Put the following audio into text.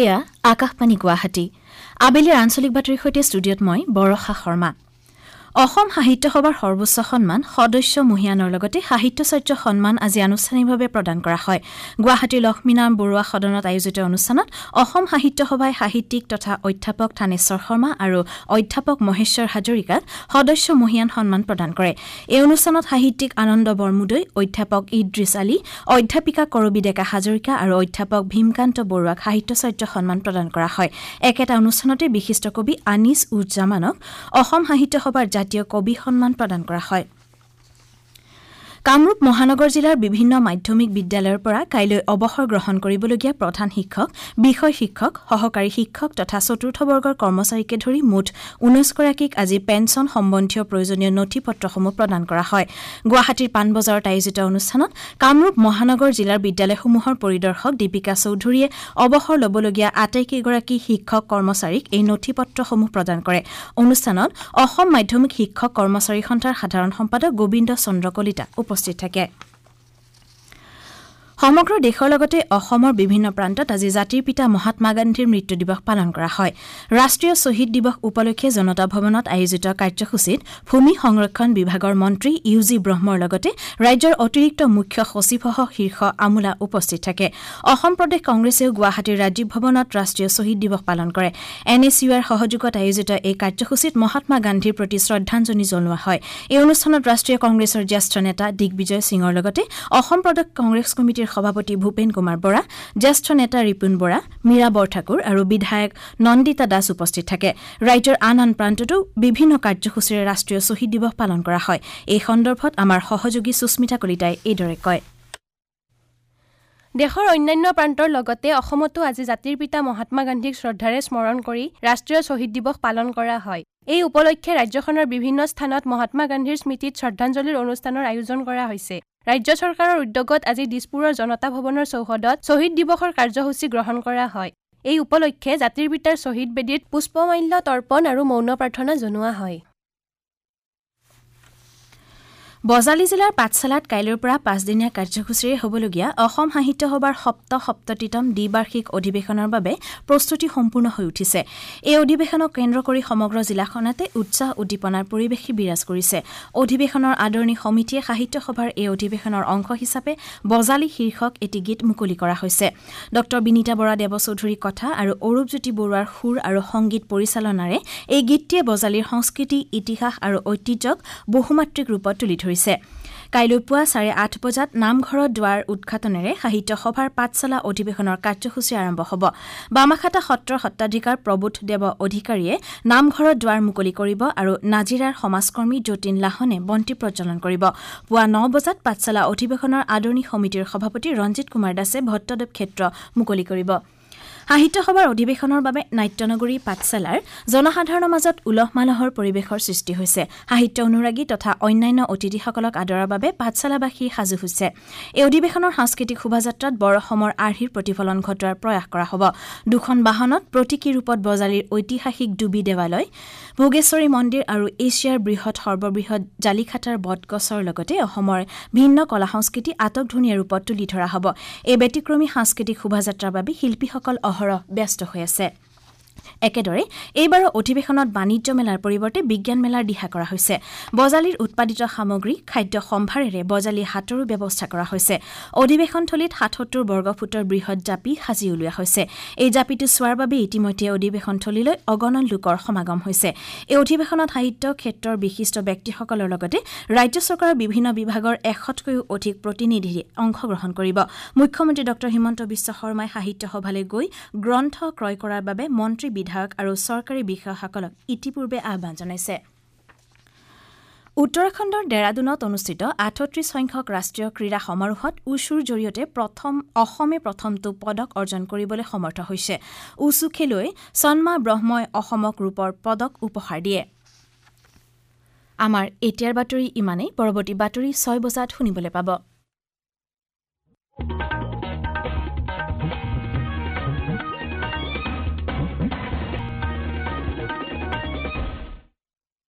এয়া আকাশবাণী গুৱাহাটী। আবেলিৰ আঞ্চলিক বাতৰিৰ সৈতে ষ্টুডিঅ'ত মই বৰষা শৰ্মা। অসম সাহিত্য সভাৰ সৰ্বোচ্চ সন্মান সদস্য মহিয়ানৰ লগতে সাহিত্যাচাৰ্য সন্মান আজি আনুষ্ঠানিকভাৱে প্ৰদান কৰা হয়। গুৱাহাটীৰ লক্ষ্মীনাৰায়ণ বৰুৱা সদনত আয়োজিত অনুষ্ঠানত অসম সাহিত্য সভাই সাহিত্যিক তথা অধ্যাপক থানেশ্বৰ শৰ্মা আৰু অধ্যাপক মহেশ্বৰ হাজৰিকাক সদস্য মহিয়ান সন্মান প্ৰদান কৰে। এই অনুষ্ঠানত সাহিত্যিক আনন্দ বৰমুদৈ, অধ্যাপক ইদ্ৰিছ আলী, অধ্যাপিকা কৰবী ডেকা হাজৰিকা আৰু অধ্যাপক ভীমকান্ত বৰুৱাক সাহিত্যাচাৰ্য সন্মান প্ৰদান কৰা হয়। একেটা অনুষ্ঠানতে বিশিষ্ট কবি আনিছ উজ জামানক অসম সাহিত্য সভাৰ জাতীয় কবি সন্মান প্ৰদান কৰা হয়। কামৰূপ মহানগৰ জিলাৰ বিভিন্ন মাধ্যমিক বিদ্যালয়ৰ পৰা কাইলৈ অৱসৰ গ্ৰহণ কৰিবলগীয়া প্ৰধান শিক্ষক, বিষয় শিক্ষক, সহকাৰী শিক্ষক তথা চতুৰ্থ বৰ্গৰ কৰ্মচাৰীকে ধৰি মুঠ ১৯গৰাকীক আজি পেঞ্চন সম্বন্ধীয় প্ৰয়োজনীয় নথি পত্ৰসমূহ প্ৰদান কৰা হয়। গুৱাহাটীৰ পাণবজাৰত আয়োজিত অনুষ্ঠানত কামৰূপ মহানগৰ জিলাৰ বিদ্যালয়সমূহৰ পৰিদৰ্শক দীপিকা চৌধুৰীয়ে অৱসৰ ল'বলগীয়া আটাইকেইগৰাকী শিক্ষক কৰ্মচাৰীক এই নথি পত্ৰসমূহ প্ৰদান কৰে। অনুষ্ঠানত অসম মাধ্যমিক শিক্ষক কৰ্মচাৰী সন্থাৰ সাধাৰণ সম্পাদক গোবিন্দ চন্দ্ৰ কলিতা উপস্থিত থাকে। সমগ্ৰ দেশৰ লগতে অসমৰ বিভিন্ন প্ৰান্তত আজি জাতিৰ পিতা মহাত্মা গান্ধীৰ মৃত্যু দিৱস পালন কৰা হয়। ৰাষ্ট্ৰীয় শ্বহীদ দিৱস উপলক্ষে জনতা ভৱনত আয়োজিত কাৰ্যসূচীত ভূমি সংৰক্ষণ বিভাগৰ মন্ত্ৰী ইউ জি ব্ৰহ্মৰ লগতে ৰাজ্যৰ অতিৰিক্ত মুখ্য সচিবসহ শীৰ্ষ আমোলা উপস্থিত থাকে। অসম প্ৰদেশ কংগ্ৰেছেও গুৱাহাটীৰ ৰাজীৱ ভৱনত ৰাষ্ট্ৰীয় শ্বহীদ দিৱস পালন কৰে। এন এছ ইউ আইৰ সহযোগত আয়োজিত এই কাৰ্যসূচীত মহাত্মা গান্ধীৰ প্ৰতি শ্ৰদ্ধাঞ্জলি জনোৱা হয়। এই অনুষ্ঠানত ৰাষ্ট্ৰীয় কংগ্ৰেছৰ জ্যেষ্ঠ নেতা দিগ্বিজয় সিঙৰ লগতে অসম প্ৰদেশ কংগ্ৰেছ কমিটিৰ সভাপতি ভূপেন কুমাৰ বৰা, জ্যেষ্ঠ নেতা ৰিপুণ বৰা, মীৰা বৰঠাকুৰ আৰু বিধায়ক নন্দিতা দাস উপস্থিত থাকে। ৰাজ্যৰ আন আন প্ৰান্ততো বিভিন্ন কাৰ্যসূচীৰে ৰাষ্ট্ৰীয় শ্বহীদ দিৱস পালন কৰা হয়। এই সন্দৰ্ভত আমাৰ সহযোগী সুস্মিতা কলিতাই এইদৰে কয়। দেশৰ অন্যান্য প্ৰান্তৰ লগতে অসমতো আজি জাতিৰ পিতা মহাত্মা গান্ধীক শ্ৰদ্ধাৰে স্মৰণ কৰি ৰাষ্ট্ৰীয় শ্বহীদ দিৱস পালন কৰা হয়। এই উপলক্ষে ৰাজ্যখনৰ বিভিন্ন স্থানত মহাত্মা গান্ধীৰ স্মৃতিত শ্ৰদ্ধাঞ্জলিৰ অনুষ্ঠানৰ আয়োজন কৰা হৈছে। ৰাজ্য চৰকাৰৰ উদ্যোগত আজি দিছপুৰৰ জনতা ভৱনৰ চৌহদত শ্বহীদ দিৱসৰ কাৰ্যসূচী গ্ৰহণ কৰা হয়। এই উপলক্ষে জাতিৰ পিতাৰ শ্বহীদ বেদীত পুষ্পমাল্য তৰ্পণ আৰু মৌন প্ৰাৰ্থনা জনোৱা হয়। বজালী জিলাৰ পাঠশালাত কাইলৈৰ পৰা পাঁচদিনীয়া কাৰ্যসূচীৰে হ'বলগীয়া অসম সাহিত্য সভাৰ ৭৭তম দ্বিবাৰ্ষিক অধিৱেশনৰ বাবে প্ৰস্তুতি সম্পূৰ্ণ হৈ উঠিছে। এই অধিৱেশনক কেন্দ্ৰ কৰি সমগ্ৰ জিলাখনতে উৎসাহ উদ্দীপনাৰ পৰিৱেশে বিৰাজ কৰিছে। অধিৱেশনৰ আদৰণি সমিতিয়ে সাহিত্য সভাৰ এই অধিৱেশনৰ অংশ হিচাপে বজালী শীৰ্ষক এটি গীত মুকলি কৰা হৈছে। ডঃ বিনীতা বৰা দেৱচৌধুৰীৰ কথা আৰু অৰূপজ্যোতি বৰুৱাৰ সুৰ আৰু সংগীত পৰিচালনাৰে এই গীতটিয়ে বজালীৰ সংস্কৃতি, ইতিহাস আৰু ঐতিহ্যক বহুমাত্ৰিক ৰূপত তুলি ধৰিছে। কাইলৈ পুৱা ৮:৩০ বজাত নামঘৰৰ দুৱাৰ উদ্ঘাটনেৰে সাহিত্য সভাৰ পাঠশালা অধিৱেশনৰ কাৰ্যসূচী আৰম্ভ হ'ব। বামাখাটা সত্ৰৰ সত্ৰাধিকাৰ প্ৰবোধ দেৱ অধিকাৰীয়ে নামঘৰৰ দুৱাৰ মুকলি কৰিব আৰু নাজিৰাৰ সমাজকৰ্মী যতীন লাহনে বন্তি প্ৰজ্বলন কৰিব। পুৱা ৯ বজাত পাঠশালা অধিৱেশনৰ আদৰণি সমিতিৰ সভাপতি ৰঞ্জিত কুমাৰ দাসে ভট্টদেৱ ক্ষেত্ৰ মুকলি কৰিব। সাহিত্য সভাৰ অধিৱেশনৰ বাবে নাট্যনগৰী পাঠশালাৰ জনসাধাৰণৰ মাজত উলহ মালহৰ পৰিৱেশৰ সৃষ্টি হৈছে। সাহিত্য অনুৰাগী তথা অন্যান্য অতিথিসকলক আদৰাৰ বাবে পাঠশালাবাসী সাজু হৈছে। এই অধিৱেশনৰ সাংস্কৃতিক শোভাযাত্ৰাত বৰ অসমৰ আৰ্হিৰ প্ৰতিফলন ঘটোৱাৰ প্ৰয়াস কৰা হ'ব। দুখন বাহনত প্ৰতীকী ৰূপত বজালীৰ ঐতিহাসিক ডুবি দেৱালয়, ভোগেশ্বৰী মন্দিৰ আৰু এছিয়াৰ বৃহৎ সৰ্ববৃহৎ জালিখাটাৰ বটগছৰ লগতে অসমৰ ভিন্ন কলা সংস্কৃতি আটকধুনীয়া ৰূপত তুলি ধৰা হ'ব। এই ব্যতিক্ৰমী সাংস্কৃতিক শোভাযাত্ৰাৰ বাবে শিল্পীসকল অহৰহ ব্যস্ত হৈ আছে। একেদৰে এইবাৰৰ অধিৱেশনত বাণিজ্য মেলাৰ পৰিৱৰ্তে বিজ্ঞান মেলাৰ দিহা কৰা হৈছে। বজালীৰ উৎপাদিত সামগ্ৰী, খাদ্য সম্ভাৰেৰে বজালী হাটৰো ব্যৱস্থা কৰা হৈছে। অধিৱেশনথলীত ৭৭ বৰ্গফুটৰ বৃহৎ জাপি সাজি উলিওৱা হৈছে। এই জাপিটো চোৱাৰ বাবে ইতিমধ্যে অধিৱেশনথলীলৈ অগণন লোকৰ সমাগম হৈছে। এই অধিৱেশনত সাহিত্য ক্ষেত্ৰৰ বিশিষ্ট ব্যক্তিসকলৰ লগতে ৰাজ্য চৰকাৰৰ বিভিন্ন বিভাগৰ ১০০তকৈও অধিক প্ৰতিনিধিয়ে অংশগ্ৰহণ কৰিব। মুখ্যমন্ত্ৰী ডঃ হিমন্ত বিশ্ব শৰ্মাই সাহিত্য সভালৈ গৈ গ্ৰন্থ ক্ৰয় কৰাৰ বাবে মন্ত্ৰী, বিধায়ক আৰু চৰকাৰী বিষয়াসকলক ইতিপূৰ্বে আহ্বান জনাইছে। উত্তৰাখণ্ডৰ ডেৰাডুনত অনুষ্ঠিত ৩৮ সংখ্যক ৰাষ্ট্ৰীয় ক্ৰীড়া সমাৰোহত উছুৰ জৰিয়তে অসমে প্ৰথমটো পদক অৰ্জন কৰিবলৈ সমৰ্থ হৈছে। উছু খেলুৱৈ সন্মা ব্ৰহ্মই অসমক ৰূপৰ পদক উপহাৰ দিয়ে। আমাৰ এতিয়াৰ বাতৰি ইমানেই। পৰৱৰ্তী বাতৰি ৬ বজাত শুনিবলৈ পাব।